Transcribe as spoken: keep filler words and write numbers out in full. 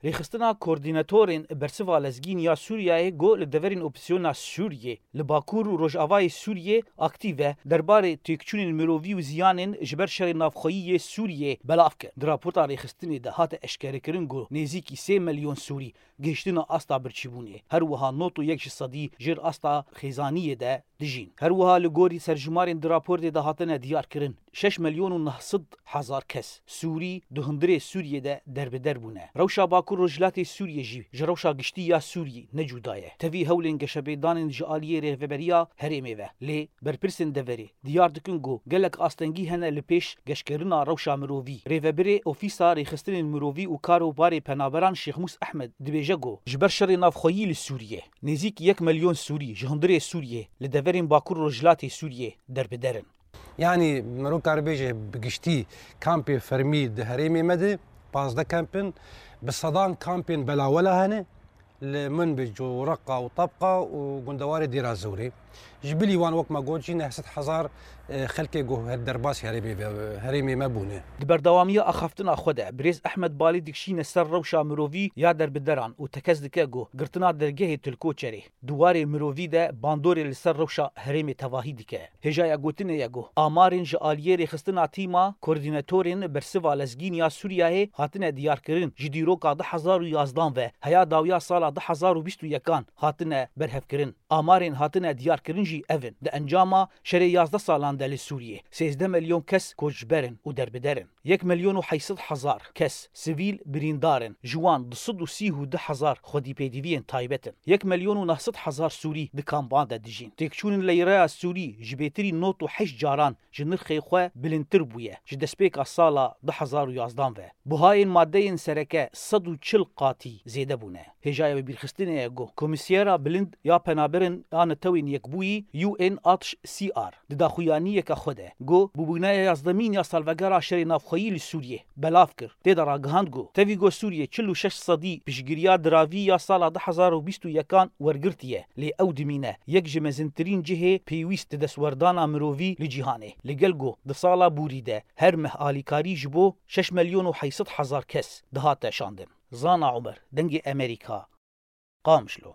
Rêxistina Koordînatorên Bersiva Lezgîn ya Sûriyeyê got, li deverên opozîsyona Sûriyê li Bakur û Rojavayê Sûriyê aktîv e, derbarê têkçûnên mirovî û ziyanên ji ber şerê navxweyî yê Sûriyê belav kir. Di raporta rêxistinê de hate eşkerekirin ku nêzîkî sê milyon Sûrî gihiştine asta birçîbûnê. Her wiha nod û yek ji sedî jêr asta xêzaniyê de dijîn. Her wiha li gorî serjimarên di raportê de hatine diyarkirin, şeş milyon û neh sed hezar kes Sûrî di hundirê Sûriyê de derbeder bûne. Rewşa Bakur Rojhilatê Sûriyê jî ji rewşa giştî ya Sûriyê ne cuda ye. Tevî hewlên geşepêdanên ji aliyê rêveberiya herêmê ve, lê berpirsên deverê diyar dikin ku gelek astengî hene li pêş geşkerina rewşa mirovî. Rêvebirê Ofîsa Rêxistinên Mirovî û Kar û Barê Penaberan Şêxmûs Ehmed dibêje ku ji ber şerê navxweyî li Sûriyê, nêzîk yek milyon Sûrî ji hundirê Sûriyê li deverên Bakur Rojhilatê Sûriyê derbider in. Yanî, mero karibêje bi giştî kampê fermî di herêmê me de pazdeh kamp in, bi sedan kampên belawela hene, li Minbic û Reqa û Tebqa û gundewarê Dêra Zewrê. Ji bilî wan, wek me got jî, neh sed hezar, e, xelkê ku her derbas herêmê ve, herêmê me bûne. Di berdewamiya axaftina xwe de, birêz Ehmed Balî dikişîne ser rewşa mirovî ya derbideran û tekez dike ku girtina dergehê Tilkoçerê di warê mirovî de bandorê li ser rewşa herêmê tevahî dike. Hêjaya gotinê ye ku amarên ji aliyê rêxistina tîma koordînatorên bersiva lezgîn ya Sûriyeyê hatine diyarkirin, ji dîroka du hezar û yazdan ve heya dawiya sala du hezar û bîst û yekan hatine berhevkirin. Amarên hatine diyarkirin jî ev in: di encama şerê yazdeh salan de li Sûriyê, sêzdeh milyon kes koçber in û derbider in. Yek milyon û heyt sed hezar kes sivîl birîndar in, ji wan du sed û sî û du hezar xwedî pêdiviyên taybet in. Yek milyon û neh sed hezar Sûrî di kampan de dijîn. Têkçûnên leyreya Sûrî ji bêtirî nod û heşt caran ji nirxê xwe bilindtir bûye ji destpêka sala du hezar û yazdan ve. Buhayên madeyên sereke sed û çil qatî zêde bûne. Hêjaya bibîrxistinê ye ku Komîsyera Bilind ya Penaberin ya Netewên Yekbûyî, U N H C R, di daxuyaniyeke xwe de got, bûbûneya yazdemîn ya salvegera şerê navxweyî li Sûriyê belav kir. Tê de ragihand ku tevî ku Sûriyê çil û şeş sedî piştgiriya diravî ya sala du hezar û bîst û yekan wergirtiye, lê ew dimîne yek ji mezintirîn cihê pêwîst di destwerdana mirovî li cîhanê. Li gel ku di sala borî de her meh alîkarî ji bo şeş milyon û heyt sed hezar kes dihate şandin. Zana Omer, Dengê Emerîka, Qamişlo.